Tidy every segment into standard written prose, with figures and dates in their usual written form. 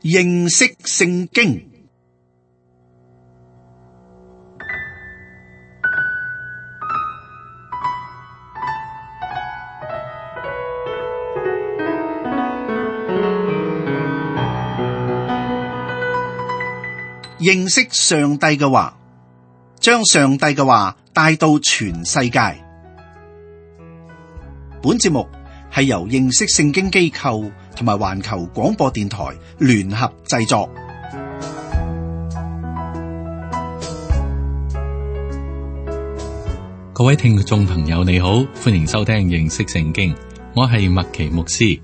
認識聖經。認識上帝嘅話，將上帝嘅話帶到全世界。本節目係由認識聖經機構同埋環球廣播電台聯合製作。各位聽眾朋友你好，歡迎收聽認識聖經，我係麥奇牧師。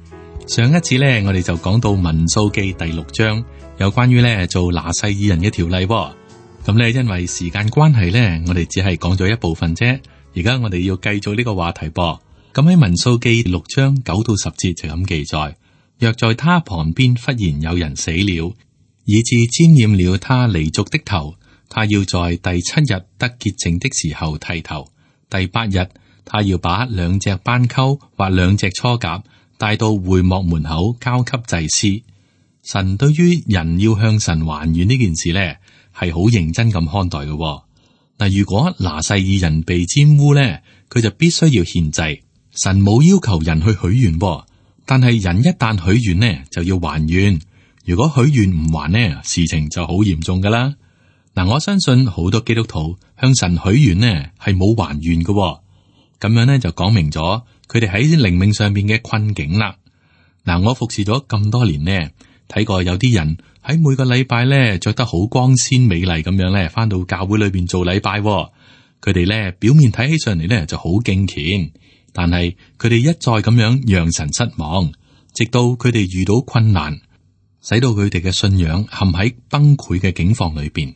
上一次呢，我哋就講到民數記第6章，有關於呢做拿細耳人嘅條例。咁呢，因為時間關係呢，我哋只係講咗一部分啫。而家我哋要繼續呢個話題噃。咁喺民數記6章9到10節就咁記載，若在他旁邊忽然有人死了，以致沾染了他離族的頭，他要在第7日得潔淨的時候剃頭。第8日，他要把2隻斑鳩或2隻雛鴿帶到會幕門口交給祭司。神對於人要向神還願呢件事呢，係好認真咁看待嘅。嗱，如果拿細耳人被沾污呢，佢就必須要獻祭。神冇要求人去許願，但係人一旦許願呢，就要還願。如果許願唔還呢，事情就好嚴重噶啦。嗱，我相信好多基督徒向神許願呢係冇還願嘅，咁樣呢就講明咗佢哋喺靈命上邊嘅困境啦。嗱，我服侍咗咁多年呢，睇過有啲人喺每個禮拜呢着得好光鮮美麗咁樣呢，翻到教會裏邊做禮拜，佢哋呢表面睇起上嚟呢就好敬虔。但係佢哋一再咁樣讓神失望，直到佢哋遇到困難，使到佢哋嘅信仰陷喺崩潰嘅境況裏邊。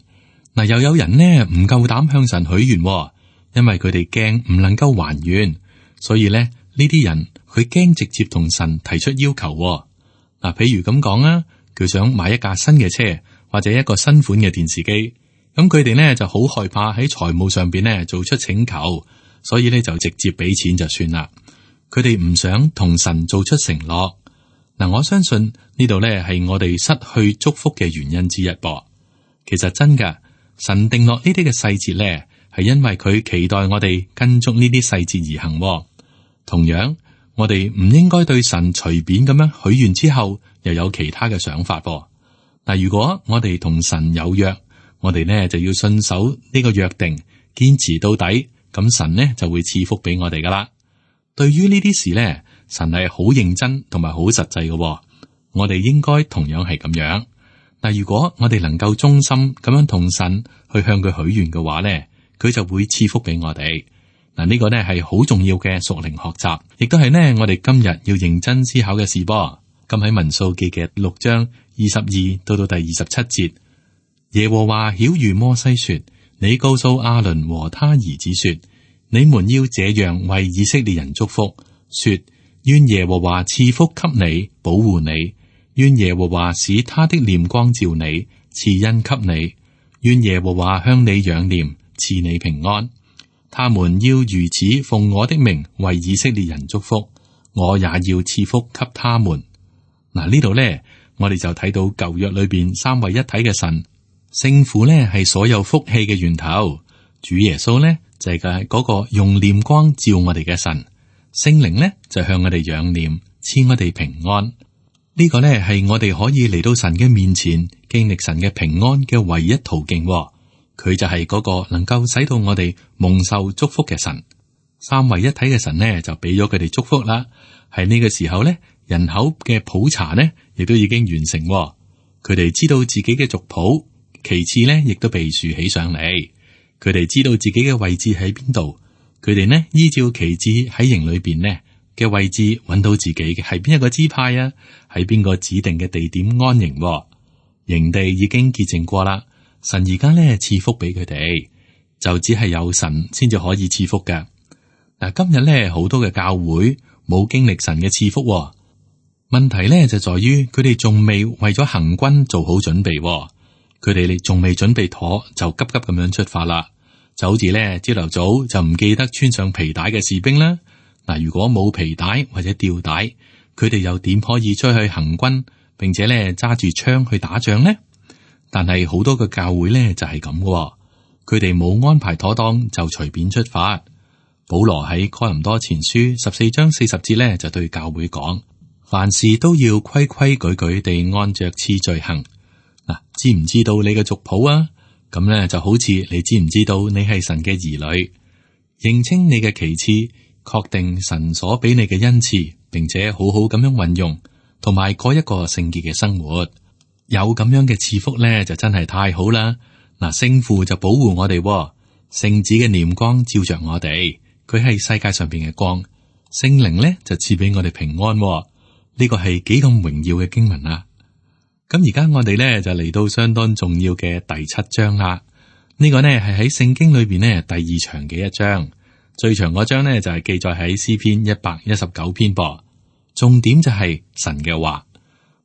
嗱，又有人呢唔夠膽向神許願，因為佢哋驚唔能夠還願，所以呢啲人佢驚直接同神提出要求。嗱，譬如咁講啊，佢想買一架新嘅車或者一個新款嘅電視機，咁佢哋呢就好害怕喺財務上邊呢做出請求。所以咧就直接俾錢就算啦，佢哋唔想同神做出承諾。嗱，我相信呢度咧係我哋失去祝福嘅原因之一噃。其實真噶，神定落呢啲嘅細節咧，係因為佢期待我哋跟足呢啲細節而行。同樣，我哋唔應該對神隨便咁樣許願之後又有其他嘅想法噃。嗱，如果我哋同神有約，我哋呢就要信守呢個約定，堅持到底。咁神呢就會賜福俾我哋噶啦。對於呢啲事呢，神係好認真同埋好實際嘅。我哋應該同樣係咁樣。嗱，如果我哋能夠忠心咁樣同神去向佢許願嘅話呢，佢就會賜福俾我哋。嗱，呢個呢係好重要嘅屬靈學習，亦都係呢我哋今日要認真思考嘅事噃。咁喺民數記嘅6章22到第27節，耶和華曉諭摩西說。你告訴亞倫和他兒子說：你們要這樣為以色列人祝福，說：願耶和華賜福給你，保護你；願耶和華使他的臉光照你，賜恩給你；願耶和華向你仰臉，賜你平安。他們要如此奉我的名為以色列人祝福，我也要賜福給他們。嗱，呢度呢，我哋就睇到舊約裏邊三位一體嘅神。聖父呢係所有福氣嘅源頭，主耶穌呢就係嗰個用臉光照我哋嘅神，聖靈呢就向我哋仰臉，賜我哋平安。呢個呢係我哋可以嚟到神嘅面前，經歷神嘅平安嘅唯一途徑。佢就係嗰個能夠使到我哋蒙受祝福嘅神。三位一體嘅神呢就俾咗佢哋祝福啦。喺呢個時候呢，人口嘅普查呢亦都已經完成。佢哋知道自己嘅族譜。其次呢，亦都被豎起上嚟。佢哋知道自己嘅位置喺邊度。佢哋呢，依照旗幟喺營裏邊呢嘅位置，揾到自己嘅係邊一個支派啊，喺邊個指定嘅地點安營。營地已經潔淨過啦。神而家呢賜福俾佢哋，就只係有神先至可以賜福嘅。嗱，今日呢，好多嘅教會冇經歷神嘅賜福。問題呢就在於佢哋仲未為咗行軍做好準備。佢哋仲未準備妥，就急急咁樣出發啦。就好似咧朝頭早就唔記得穿上皮帶嘅士兵啦。嗱，如果冇皮帶或者吊帶，佢哋又點可以出去行軍，並且咧揸住槍去打仗呢？但係好多嘅教會咧就係咁嘅，佢哋冇安排妥當就隨便出發。保羅喺哥林多前書14章40節咧就對教會講：凡事都要規規矩矩地按着次序行。嗱，知唔知道你嘅族譜啊？咁咧就好似你知唔知道你係神嘅兒女，認清你嘅旗幟，確定神所俾你嘅恩賜，並且好好咁樣運用，同埋過一個聖潔嘅生活。有咁樣嘅賜福咧，就真係太好啦！嗱，聖父就保護我哋，聖子嘅臉光照着我哋，佢係世界上邊嘅光，聖靈咧就賜俾我哋平安。呢個係幾咁榮耀嘅經文啊！咁而家我哋咧就嚟到相當重要嘅第7章啦。呢個呢係喺聖經裏邊呢第2長嘅一章，最長嗰章呢就係記載喺詩篇119篇噃。重點就係神嘅話。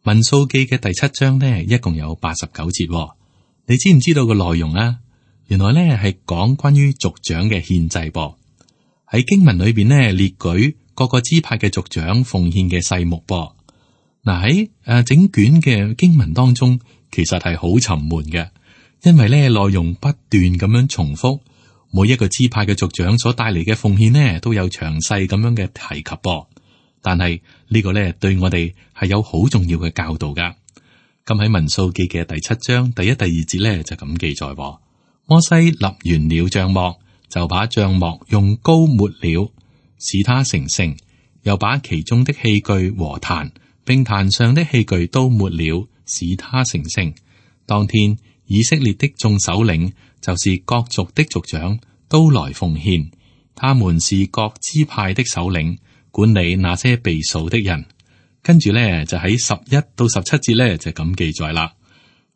民數記嘅第7章呢一共有89節。你知唔知道個內容啊？原來呢係講關於族長嘅獻祭噃。喺經文裏邊呢列舉各個支派嘅族長奉獻嘅細目噃。嗱，喺整卷嘅經文當中，其實係好沉悶嘅，因為咧內容不斷咁樣重複，每一個支派嘅族長所帶嚟嘅奉獻呢都有詳細咁樣嘅提及噃。但係呢個咧對我哋係有好重要嘅教導噶。咁喺民數記嘅第7章第1、第2節咧就咁記載：摩西立完了帳幕，就把帳幕用膏抹了，使它成聖，又把其中的器具和壇，並壇上的器具都抹了，使他成聖。當天以色列的眾首領，就是各族的族長，都來奉獻。他們是各支派的首領，管理那些被數的人。跟住呢，就喺11到17節呢，就咁記載啦。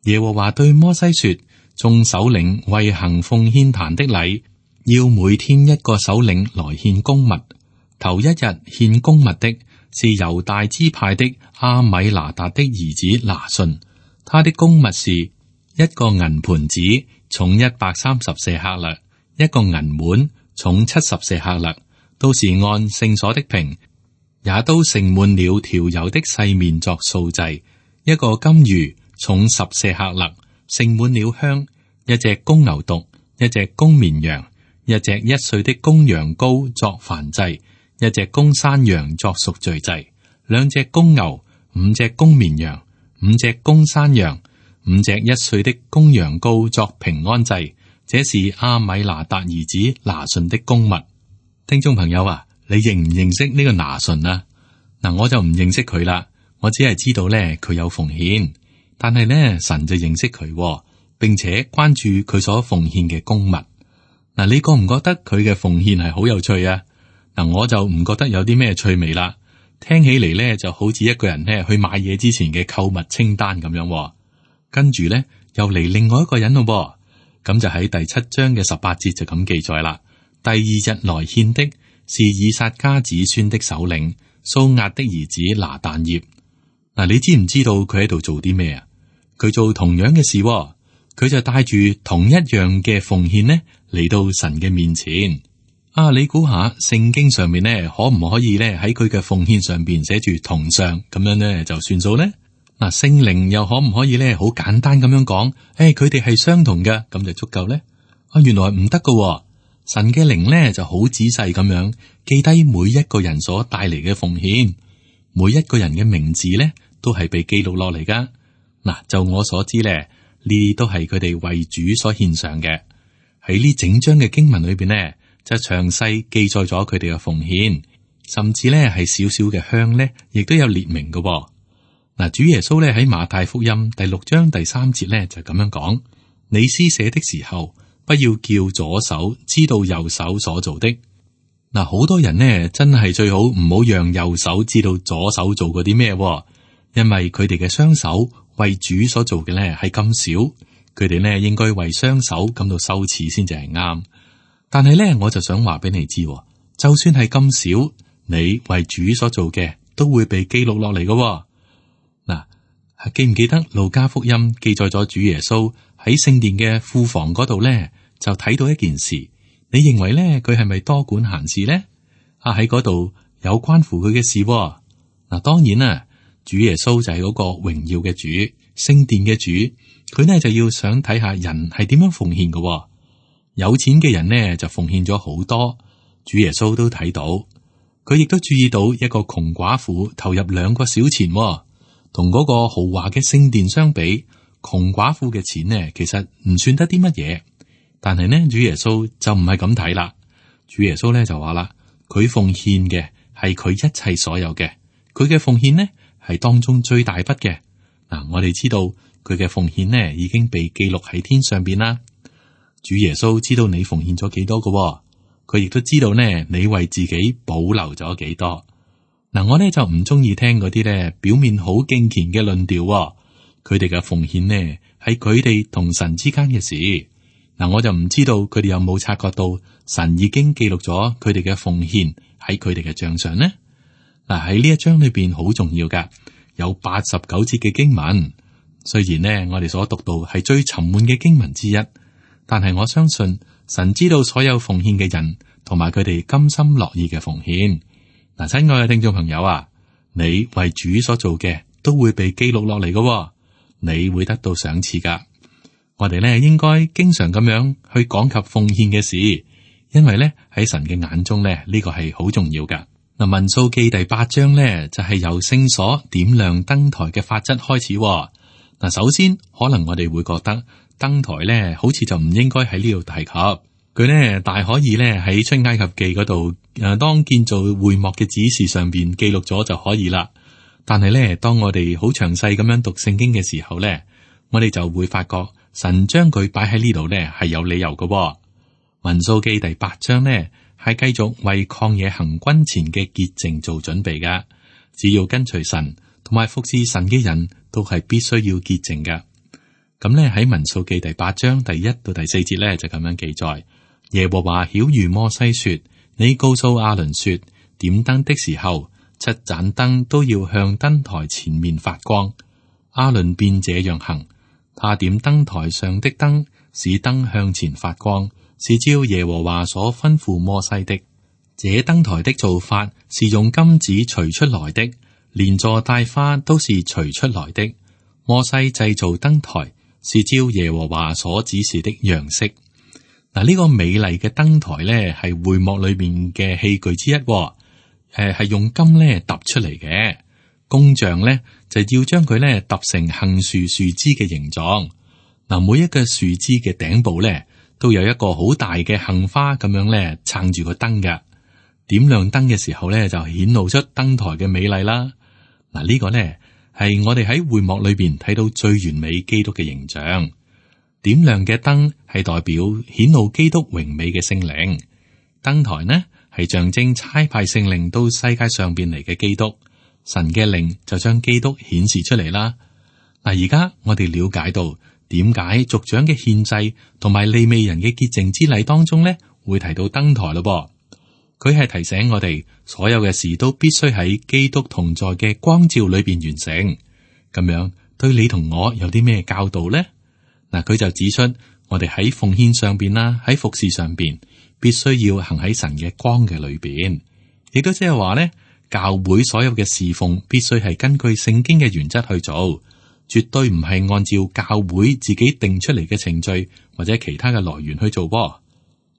耶和華對摩西說：眾首領為行奉獻壇的禮，要每天一個首領來獻供物。頭一日獻供物的是猶大支派的阿米拿達的兒子拿順，他的供物是一個銀盤子，重130舍客勒；一個銀碗，重70舍客勒，都是按聖所的瓶，也都盛滿了調油的細麵作素祭；一個金魚，重10舍客勒，盛滿了香；一隻公牛犢，一隻公綿羊，一隻1歲的公羊羔作燔祭。一隻公山羊作贖罪祭，2隻公牛，5隻公綿羊，5隻公山羊，5隻1歲的公羊羔作平安祭。這是阿米拿達兒子拿順的供物。聽眾朋友啊，你認唔認識呢個拿順啊？嗱，我就唔認識佢啦，我只係知道咧佢有奉獻，但係咧神就認識佢，並且關注佢所奉獻嘅供物。嗱，你覺唔覺得佢嘅奉獻係好有趣啊？嗱，我就唔覺得有啲咩趣味啦，聽起嚟咧就好似一個人咧去買嘢之前嘅購物清單咁樣。跟住咧又嚟另外一個人咯，咁就喺第7章嘅18節就咁記載啦。第2日來獻的是以薩迦子孫的首領蘇押的兒子拿但業。嗱，你知唔知道佢喺度做啲咩啊？佢做同樣嘅事，佢就帶住同一樣嘅奉獻呢嚟到神嘅面前。啊！你估下聖經上面咧，可唔可以咧喺佢嘅奉獻上邊寫住同上咁樣咧就算數咧？嗱，聖靈又可唔可以咧好簡單咁樣講？佢哋係相同嘅，咁就足夠咧？啊，原來唔得噶。神嘅靈咧就好仔細咁樣記低每一個人所帶嚟嘅奉獻，每一個人嘅名字咧都係被記錄落嚟噶。嗱，就我所知咧，呢都係佢哋為主所獻上嘅。喺呢整章嘅經文裏邊咧，就詳細記載咗佢哋嘅奉獻，甚至咧係少少嘅香咧，亦都有列明嘅。嗱，主耶穌咧喺馬太福音第6章第3節咧就咁樣講：你施捨的時候，不要叫左手知道右手所做的。嗱，好多人呢真係最好唔好讓右手知道左手做過啲咩，因為佢哋嘅雙手為主所做嘅咧係咁少，佢哋呢應該為雙手感到羞恥先至係啱。但係咧，我就想話俾你知，就算係咁少，你為主所做嘅都會被記錄落嚟嘅。嗱，記唔記得路加福音記載咗主耶穌喺聖殿嘅庫房嗰度咧，就睇到一件事。你認為咧佢係咪多管閒事咧？喺嗰度有關乎佢嘅事。嗱，當然啦，主耶穌就係嗰個榮耀嘅主，聖殿嘅主，佢呢就要想睇下人係點樣奉獻嘅。有錢嘅人呢就奉獻咗好多，主耶穌都睇到，佢亦都注意到一個窮寡婦投入2個小錢，同嗰個豪華嘅聖殿相比，窮寡婦嘅錢呢其實唔算得啲乜嘢。但係呢，主耶穌就唔係咁睇啦。主耶穌呢就話啦，佢奉獻嘅係佢一切所有嘅，佢嘅奉獻呢係當中最大筆嘅。嗱，我哋知道佢嘅奉獻呢已經被記錄喺天上邊啦。主耶穌知道你奉獻咗幾多嘅，佢亦都知道呢你為自己保留咗幾多。嗱，我呢就唔中意聽嗰啲呢表面好敬虔嘅論調，佢哋嘅奉獻呢係佢哋同神之間嘅事。嗱，我就唔知道佢哋有冇察覺到神已經記錄咗佢哋嘅奉獻喺佢哋嘅賬上呢？嗱，喺呢一章裏邊好重要噶，有89節嘅經文。雖然呢我哋所讀到係最沉悶嘅經文之一，但係我相信神知道所有奉獻嘅人同埋佢哋甘心樂意嘅奉獻。嗱，親愛嘅聽眾朋友啊，你為主所做嘅都會被記錄落嚟嘅，你會得到賞賜噶。我哋咧應該經常咁樣去講及奉獻嘅事，因為咧喺神嘅眼中咧呢個係好重要噶。嗱，民數記第8章咧就係由聖所點亮燈台嘅法則開始。嗱，首先可能我哋會覺得燈台咧好似就唔應該喺呢度提及，佢咧大可以咧喺出埃及記嗰度當建造會幕嘅指示上邊記錄咗就可以啦。但係咧當我哋好詳細咁樣讀聖經嘅時候咧，我哋就會發覺神將佢擺喺呢度咧係有理由嘅。民數記第8章呢係繼續為曠野行軍前嘅潔淨做準備噶。只要跟隨神同埋服侍神嘅人都係必須要潔淨噶。咁咧喺民數記第8章第1到第4節咧就咁樣記載：耶和華曉諭摩西說，你告訴亞倫說，點燈的時候，7盞燈都要向燈台前面發光。亞倫便這樣行。他點燈台上的燈，使燈向前發光，是照耶和華所吩咐摩西的。這燈台的做法是用金子錘出來的，連座帶花都是錘出來的。摩西製造燈台是照耶和華所指示的樣式。嗱，呢個美麗嘅燈台呢，係會幕裏面嘅器具之一，係用金呢揼出嚟嘅。工匠呢，就要將佢呢揼成杏樹樹枝嘅形狀。嗱，每一個樹枝嘅頂部呢，都有一個好大嘅杏花咁樣呢撐住個燈㗎。點亮燈嘅時候呢，就顯露出燈台嘅美麗啦。嗱，呢個呢，係我哋喺會幕裏邊睇到最完美基督嘅形象。點亮嘅燈係代表顯露基督榮美嘅聖靈。燈台呢，係象徵差派聖靈到世界上邊嚟嘅基督。神嘅靈就將基督顯示出嚟啦。嗱，而家我哋了解到點解族長嘅獻祭同埋利未人嘅潔淨之禮當中呢會提到燈台咯。佢係提醒我哋，所有嘅事都必須喺基督同在嘅光照裏邊完成。咁樣對你同我有啲咩教導呢？嗱，佢就指出我哋喺奉獻上邊啦，喺服侍上邊必須要行喺神嘅光嘅裏邊，亦都即係話呢。教會所有嘅侍奉必須係根據聖經嘅原則去做，絕對唔係按照教會自己定出嚟嘅程序或者其他嘅來源去做。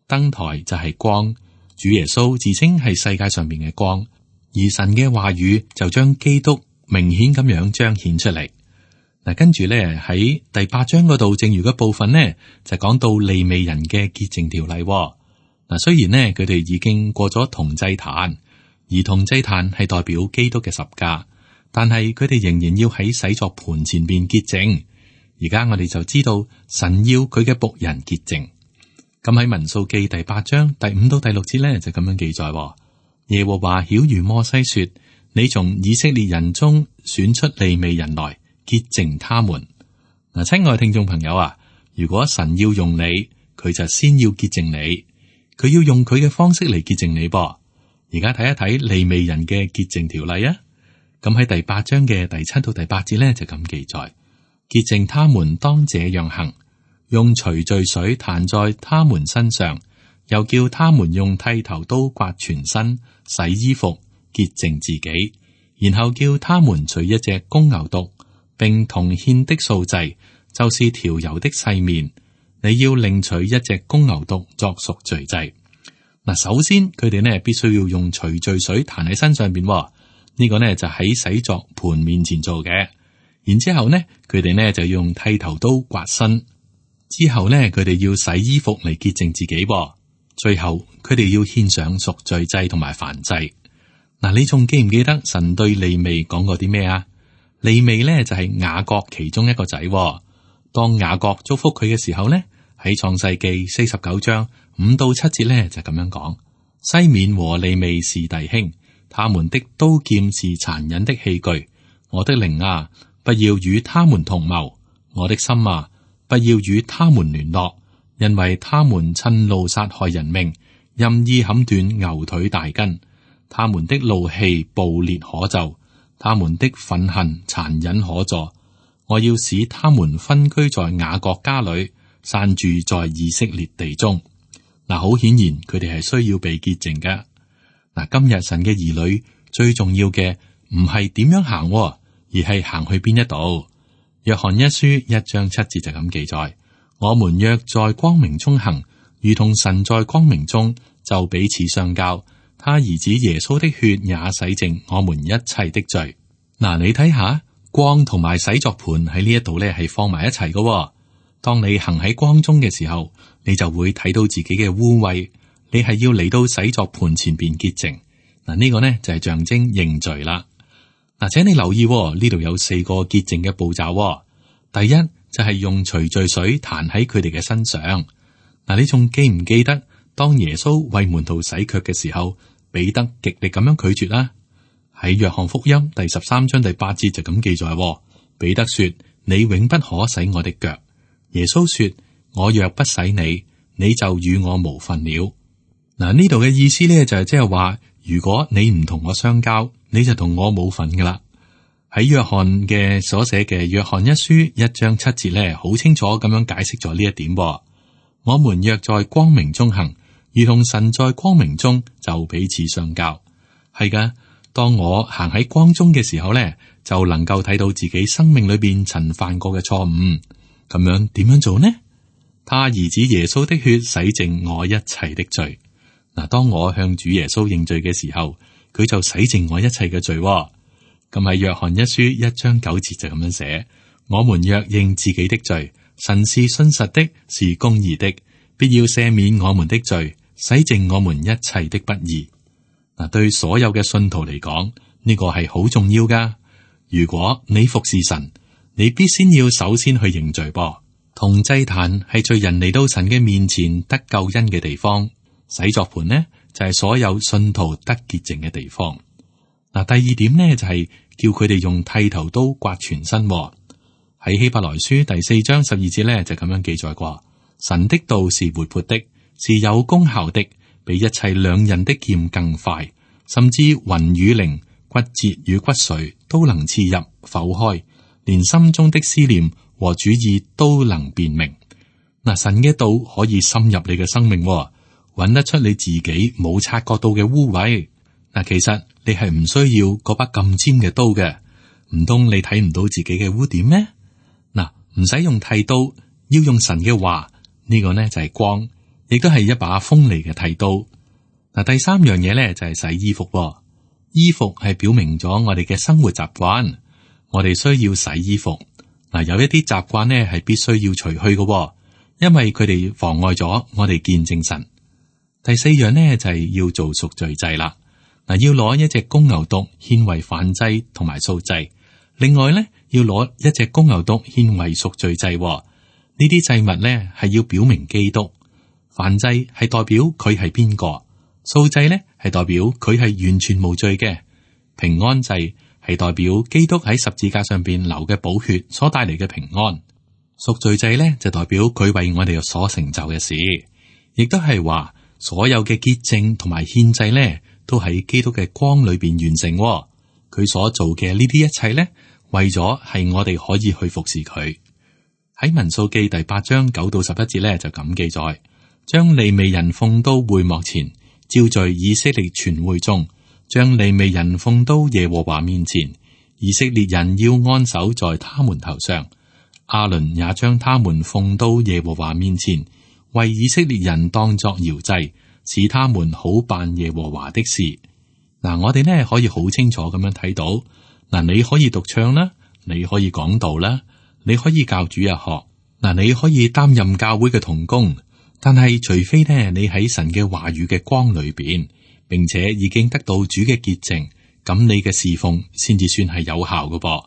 燈台就係光，主耶穌自稱係世界上面嘅光，而神嘅話語就將基督明顯咁樣彰顯出嚟。嗱，跟住咧喺第8章嗰度，剩餘嘅部分呢，就講到利未人嘅潔淨條例。嗱，雖然呢，佢哋已經過咗銅祭壇。而銅祭壇係代表基督嘅十架，但係佢哋仍然要喺洗作盤前邊潔淨。而家我哋就知道神要佢嘅僕人潔淨。咁喺民數記第8章第5到第6節咧就咁樣記載：耶和華曉諭摩西說，你從以色列人中選出利未人來潔淨他們。嗱，親愛聽眾朋友啊，如果神要用你，佢就先要潔淨你，佢要用佢嘅方式嚟潔淨你噃。而家睇一睇利未人嘅潔淨條例啊，咁喺第8章嘅第7到第8節咧就咁記載：潔淨他們當這樣行，用除罪水彈在他們身上，又叫他們用剃頭刀刮全身，洗衣服，潔淨自己，然後叫他們取一隻公牛犢，並同獻的素祭，就是調油的細麵。你要另取一隻公牛犢作贖罪祭。嗱，首先佢哋呢必須要用除罪水彈喺身上邊，呢個呢就喺洗作盤面前做嘅。然之後呢，佢哋呢就用剃頭刀刮身，之後呢，佢哋要洗衣服嚟潔淨自己。最後佢哋要獻上贖罪祭同埋燔祭。嗱，你仲記唔記得神對利未講過啲咩啊？利未呢就係雅各其中一個仔。當雅各祝福佢嘅時候呢，喺創世記49章5到7節呢就咁樣講：西面和利未是弟兄，他們的刀劍是殘忍的器具。我的靈啊，不要與他們同謀；我的心啊，不要與他們聯絡，因為他們趁怒殺害人命，任意砍斷牛腿大筋。他們的怒氣暴烈可咒，他們的憤恨殘忍可詛。我要使他們分居在雅各家裏，散住在以色列地中。嗱，好顯然佢哋係需要被潔淨嘅。嗱，今日神嘅兒女最重要嘅唔係點樣行，而係行去邊一度。約翰一書1章7節就咁記載：我們若在光明中行，如同神在光明中，就彼此相交。他兒子耶穌的血也洗淨我們一切的罪。嗱，你睇下光同埋洗作盤喺呢一度咧係放埋一齊嘅。當你行喺光中嘅時候，你就會睇到自己嘅污穢。你係要嚟到洗作盤前邊潔淨。嗱，呢個呢就係象徵認罪啦。嗱，請你留意呢度有4個潔淨嘅步驟。第一就係用除罪水彈喺佢哋嘅身上。嗱，你仲記唔記得當耶穌為門徒洗腳嘅時候，彼得極力咁樣拒絕啦？喺約翰福音第13章第8節就咁記載：彼得說，你永不可洗我的腳。耶穌說，我若不洗你，你就與我無分了。嗱，呢度嘅意思咧就係即係話，如果你唔同我相交，你就同我冇份噶啦。喺約翰嘅所寫嘅約翰一書1章7節咧，好清楚咁樣解釋咗呢一點。我們若在光明中行，如同神在光明中，就彼此相交。係噶，當我行喺光中嘅時候咧，就能夠睇到自己生命裏邊曾犯過嘅錯誤。咁樣點樣做呢？他兒子耶穌的血洗淨我一切的罪。嗱，當我向主耶穌認罪嘅時候，佢就洗淨我一切嘅罪。咁喺約翰一書1章9節就咁樣寫：我們若認自己的罪，神是信實的，是公義的，必要赦免我們的罪，洗淨我們一切的不義。嗱，對所有嘅信徒嚟講，呢個係好重要噶。如果你服侍神，你必先要首先去認罪噃。同祭壇係罪人嚟到神嘅面前得救恩嘅地方，洗作盤呢就係所有信徒得潔淨嘅地方。嗱，第二點呢就係叫佢哋用剃頭刀刮全身。喺希伯來書第4章12節呢就咁樣記載過：神的道是活潑的，是有功效的，比一切兩刃的劍更快，甚至魂與靈、骨節與骨髓都能刺入剖開，連心中的思念和主意都能辨明。嗱，神嘅道可以深入你嘅生命，揾得出你自己冇察覺到嘅污穢。嗱，其實你係唔需要嗰把咁尖嘅刀嘅，唔通你睇唔到自己嘅污點咩？嗱，唔使用剃刀，要用神嘅話，呢個呢就係光，亦都係一把鋒利嘅剃刀。嗱，第三樣嘢呢就係洗衣服。衣服係表明咗我哋嘅生活習慣，我哋需要洗衣服。嗱，有一啲習慣呢係必須要除去嘅，因為佢哋妨礙咗我哋見證神。第四樣呢就係要做贖罪祭啦。嗱，要攞一隻公牛犢獻為燔祭同埋素祭，另外呢要攞一隻公牛犢獻為贖罪祭。呢啲祭物呢係要表明基督。燔祭係代表佢係邊個，素祭呢係代表佢係完全無罪嘅，平安祭係代表基督喺十字架上邊流嘅寶血所帶嚟嘅平安。贖罪祭呢就代表佢為我哋所成就嘅事，亦都係話所有嘅潔淨同埋獻祭呢都喺基督嘅光裏邊完成。佢所做嘅呢啲一切呢，為咗係我哋可以去服侍佢。喺民數記第8章9到11節呢就咁記載：將利未人奉到會幕前，召聚以色列全會眾，將利未人奉到耶和華面前，以色列人要安守在他們頭上。亞倫也將他們奉到耶和華面前，為以色列人當作搖祭，使他們好辦耶和華的事。嗱，我哋呢可以好清楚咁樣睇到，嗱，你可以獨唱啦，你可以講道啦，你可以教主日學，嗱，你可以擔任教會嘅同工，但係除非呢你喺神嘅話語嘅光裏邊，並且已經得到主嘅潔淨，咁你嘅侍奉先至算係有效嘅噃。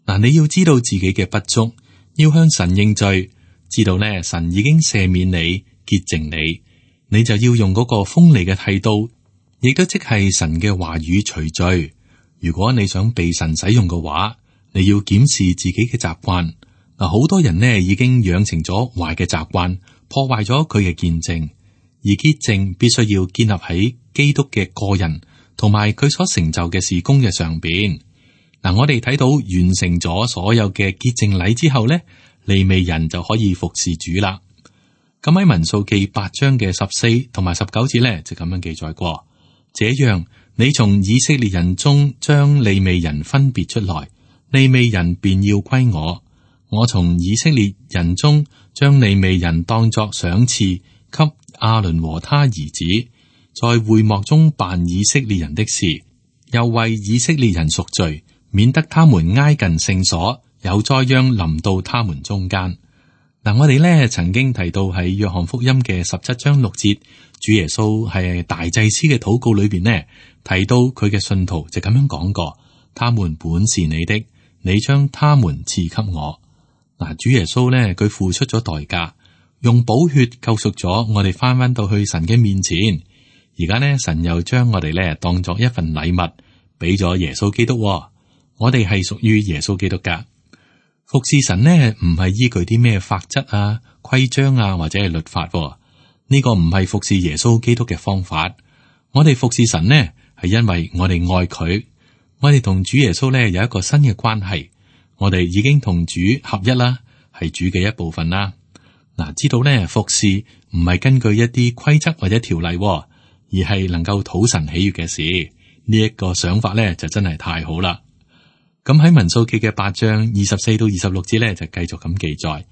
嗱，你要知道自己嘅不足，要向神認罪，知道呢神已經赦免你、潔淨你，你就要用嗰個鋒利嘅剃刀，亦都即係神嘅話語除罪。如果你想被神使用嘅話，你要檢視自己嘅習慣。嗱，好多人呢已經養成咗壞嘅習慣，破壞咗佢嘅見證。而潔淨必須要建立喺基督嘅個人同埋佢所成就嘅事工嘅上邊。嗱，我哋睇到完成咗所有嘅潔淨禮之後呢，利未人就可以服侍主啦。咁喺民數記8章嘅14同埋19節呢，就咁樣記載過。這樣，你從以色列人中將利未人分別出來，利未人便要歸我。我從以色列人中將利未人當作賞賜給亞倫和他兒子，在會幕中辦以色列人的事，又為以色列人贖罪，免得他們挨近聖所，有災殃臨到他們中間。嗱，我哋呢曾經提到喺約翰福音嘅17章6節，主耶穌係大祭司嘅禱告裏邊呢，提到佢嘅信徒就咁樣講過：他們本是你的，你將他們賜給我。嗱，主耶穌呢，佢付出咗代價，用寶血救贖咗我哋，翻到去神嘅面前。而家呢，神又將我哋呢當作一份禮物，俾咗耶穌基督。我哋係屬於耶穌基督噶。服侍神呢，唔係依據啲咩法則啊、規章啊，或者係律法。呢個唔係服侍耶穌基督嘅方法。我哋服侍神呢，係因為我哋愛佢。我哋同主耶穌呢有一個新嘅關係。我哋已經同主合一啦，係主嘅一部分啦。嗱，知道呢，服侍唔係根據一啲規則或者條例，而係能夠討神喜悅嘅事。呢一個想法呢，就真係太好啦。咁喺民數記嘅8章24到26節呢，就繼續咁記載，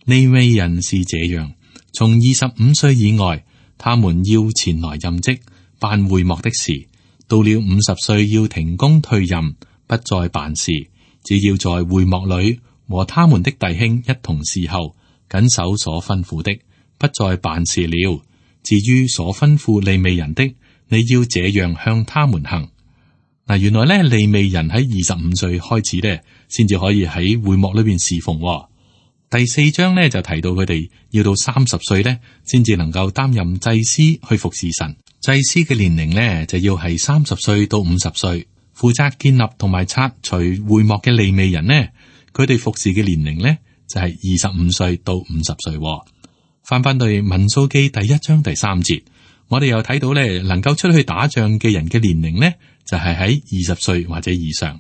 利未人是這樣，從25歲以外，他們要前來任職，辦會幕的事；到了50歲要停工退任，不再辦事，只要在會幕裏和他們的弟兄一同侍候，謹守所吩咐的，不再辦事了。至於所吩咐利未人的，你要這樣向他們行。嗱，原來咧利未人喺25歲開始咧，先至可以喺會幕裏邊侍奉。第4章咧就提到佢哋要到30歲咧，先至能夠擔任祭司去服侍神。祭司嘅年齡咧就要係30歲到50歲。負責建立同埋拆除會幕嘅利未人呢，佢哋服侍嘅年齡咧就係25歲到50歲。翻到民數記第1章第3節，我哋又睇到咧，能夠出去打仗嘅人嘅年齡咧，就係喺20歲或者以上。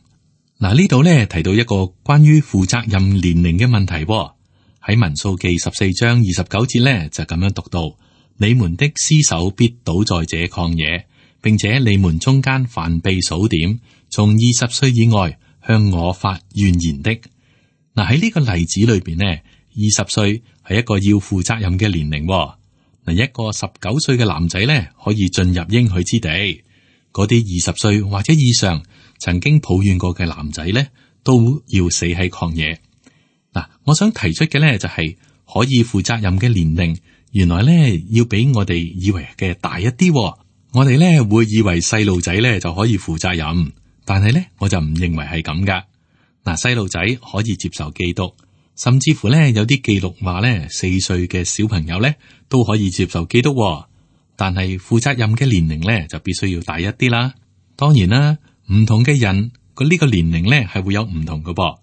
嗱，呢度咧提到一個關於負責任年齡嘅問題。喺民數記14章29節咧就咁樣讀到：你們的屍首必倒在這曠野，並且你們中間凡被數點，從20歲以外向我發怨言的。嗱，喺呢個例子裏邊呢，20歲係一個要負責任嘅年齡。嗱，一個19歲嘅男仔咧可以進入應許之地，嗰啲20歲或者以上曾經抱怨過嘅男仔咧，都要死喺曠野。嗱，我想提出嘅咧就係可以負責任嘅年齡，原來咧要比我哋以為嘅大一啲。我哋咧會以為細路仔咧就可以負責任，但係咧我就唔認為係咁噶。嗱，細路仔可以接受基督，甚至乎咧有啲記錄話咧4歲嘅小朋友咧都可以接受基督。但係負責任嘅年齡咧就必須要大一啲啦。當然啦，唔同嘅人佢呢個年齡咧係會有唔同嘅噃。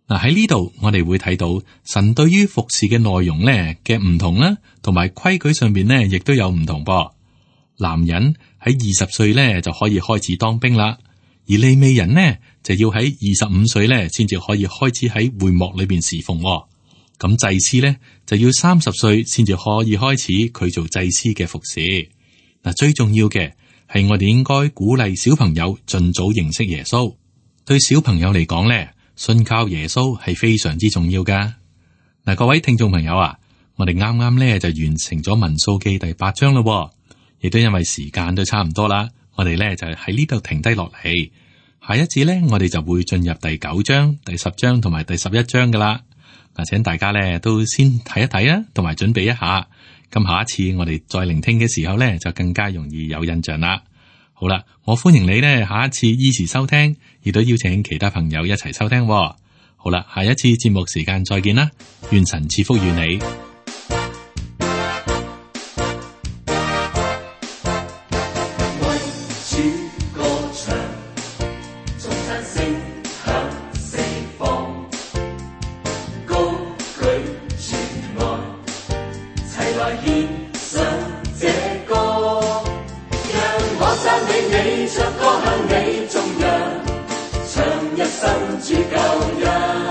嗱，喺呢度我哋會睇到神對於服侍嘅內容咧嘅唔同啦，同埋規矩上邊咧亦都有唔同噃。男人喺20歲咧就可以開始當兵啦，而利未人呢就要喺25歲咧先至可以開始喺會幕裏邊侍奉。咁祭司咧就要30歲先至可以開始佢做祭司嘅服侍。嗱，最重要嘅係我哋應該鼓勵小朋友盡早認識耶穌。對小朋友嚟講咧，信靠耶穌係非常之重要噶。嗱，各位聽眾朋友啊，我哋啱啱咧就完成咗民數記第8章咯，亦都因為時間都差唔多啦，我哋咧就喺呢度停低落嚟。下一次咧，我哋就會進入第9章、第10章同埋第11章噶啦。嗱，請大家咧都先睇一睇啊，同埋準備一下。咁下一次我哋再聆聽嘅時候咧，就更加容易有印象啦。好啦，我歡迎你呢下一次依時收聽，亦都邀請其他朋友一齊收聽。好啦，下一次節目時間再見啦，願神賜福與你。唱歌向你頌揚，唱一生主救恩。